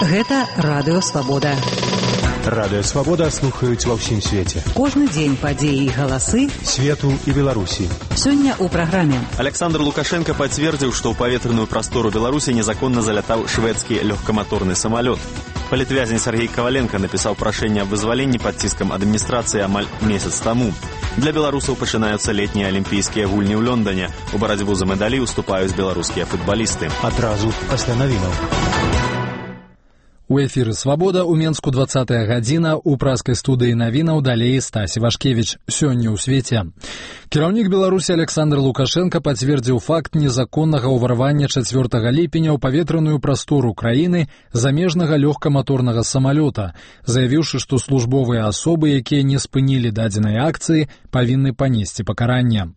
Гэта Радыё Свабода. Радыё Свабода слухаюць ва ўсім свеце. Кожны дзень падзеі і галасы свету і Беларусі. Сёння ў праграме. Александр Лукашенко пацвердзіў, што ў паветраную прастору Беларусі незаконна залятаў шведскі лёгкаматорны самалёт. Палітвязень Сергей Коваленко напісаў прашэнне аб вызваленні пад ціскам адміністрацыі амаль месяц таму. Для беларусаў пачынаюцца летнія алімпійскія гульні ў Лондоне. У барацьбу за медалі ўступаюць беларускія футбалісты. Адразу пасля навінаў. У эфіры «Свабода» у Менску 20-я гадзіна, у праскай студыі навінаў далей Стась Івашкевіч. Сёння ў свеце. Кіраўнік Беларусі Александр Лукашенко пацвердзіў факт незаконнага ўварвання 4 ліпеня ў паветраную прастору краіны замежнага лёгкаматорнага самалёта, заявіўшы, што службовыя асобы, якія не спынілі дадзенай акцыі, павінны панесці пакаранне.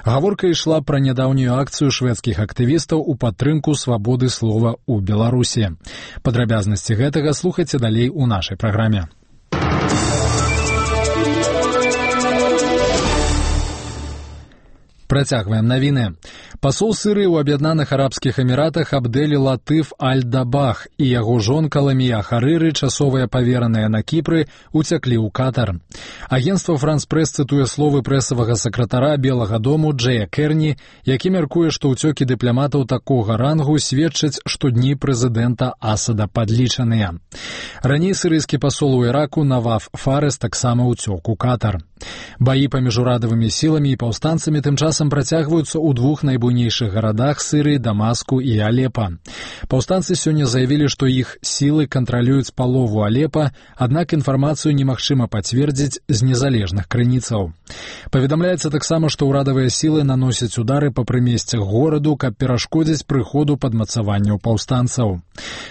Гаворка ішла пра нядаўнюю акцыю шведскіх актывістаў у падтрымку свабоды слова ў Беларусі. Падрабязнасці гэтага слухайце далей у нашай праграме. Працягваем навіны. Пасол Сірыі ў Аб'яднаных Арабскіх Эміратах Абдэль Латыф Аль-Дабах і яго жонка Ламія Харыры, часовыя павераныя на Кіпры, уцяклі ў Катар. Агенцтва Франс-Прэс цытуе словы прэсавага сакратара Белага дому Джэя Керні, які мяркуе, што ўцёкі дыпламатаў такога рангу сведчаць, што дні прэзідэнта Асада падлічаныя. Раней сірыйскі пасол у Іраку Наваф Фарес таксама ўцёк у Катар. Баі паміж урадавымі сіламі і паўстанцамі тым часам працягваюцца ў двух найбуйнейшых гарадах Сірыі, Дамаску і Алепа. Паўстанцы сёння заявілі, што іх сілы кантралююць палову Алепа, аднак інфармацыю немагчыма пацвердзіць з незалежных крыніцаў. Паведамляецца таксама, што ўрадавыя сілы наносяць удары па прымесцях гораду, каб перашкодзіць прыходу падмацаванняў паўстанцаў.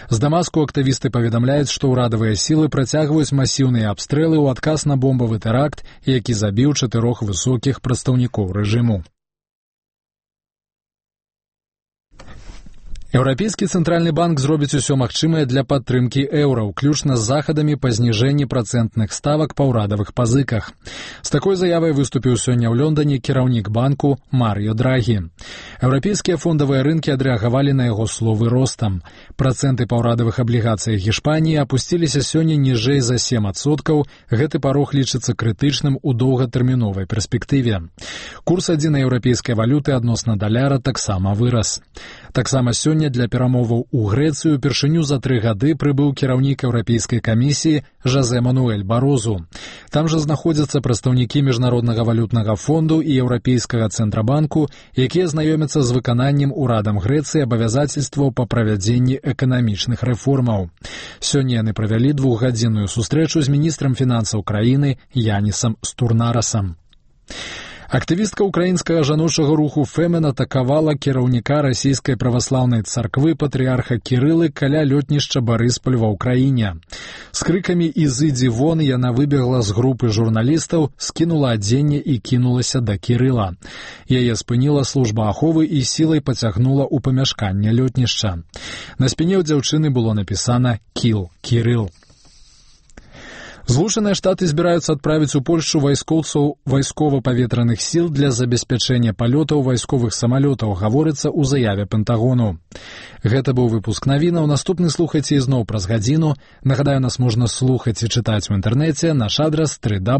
З Дамаску актывісты паведамляюць, што ўрадавыя сілы працягваюць масіўныя абстрэлы ў адказ на бомбавы тэракт, які забіў 4 высокіх прадстаўнікоў рэжыму. Еўрапейскі цэнтральны банк зробіць усё магчымае для падтрымкі еўра, уключна з захадамі па зніжэнні працэнтных ставак па ўрадавых пазыках. З такой заявай выступіў сёння ў Лондоне кіраўнік банку Марыё Драгі. Еўрапейскія фондавыя рынкі адрэагавалі на яго словы ростам. Працэнты па ўрадавых аблігацыях Гішпаніі апусціліся сёння ніжэй за 7%. Гэты парог лічыцца крытычным у доўгатэрміновай перспектыве. Курс адзінай еўрапейскай валюты адносна даляра таксама вырас. Таксама сёння для перамоваў у Грэцыю упершыню за 3 гады прыбыў кіраўнік Еўрапейскай камісіі Жозе Мануэль Барозу. Там жа знаходзяцца прадстаўнікі Міжнароднага валютнага фонду і Еўрапейскага цэнтрабанку, якія знаёмяцца з выкананнем урадам Грэцыі абавязацельстваў па правядзенні эканамічных рэформаў. Сёння яны правялі 2-гадзінную сустрэчу з міністрам фінансаў краіны Янісам Стурнарасам. Актывістка украінскага жаночага руху «Фемен» атакавала кіраўніка расійскай праваслаўнай царквы патрыарха Кірылы каля лётнішча Барысполь ва ўкраіне. З крыкамі «Ізыдзі вон» яна выбегла з групы журналістаў, скінула адзенне і кінулася да Кірыла. Яе спыніла служба аховы і сілай пацягнула ў памяшканне лётнішча. На спіне ў дзяўчыны было напісана «Кіл Кірыл». Злучаныя Штаты збіраюцца адправіць у Польшчу вайскоўцаў вайскова-паветраных сіл для забеспячэння палётаў вайсковых самалётаў, гаворыцца ў заяве Пентагону. Гэта быў выпуск навінаў. Наступны слухайце ізноў праз гадзіну. Нагадаю, нас можна слухаць і чытаць у інтэрнэце. Наш адрас 3W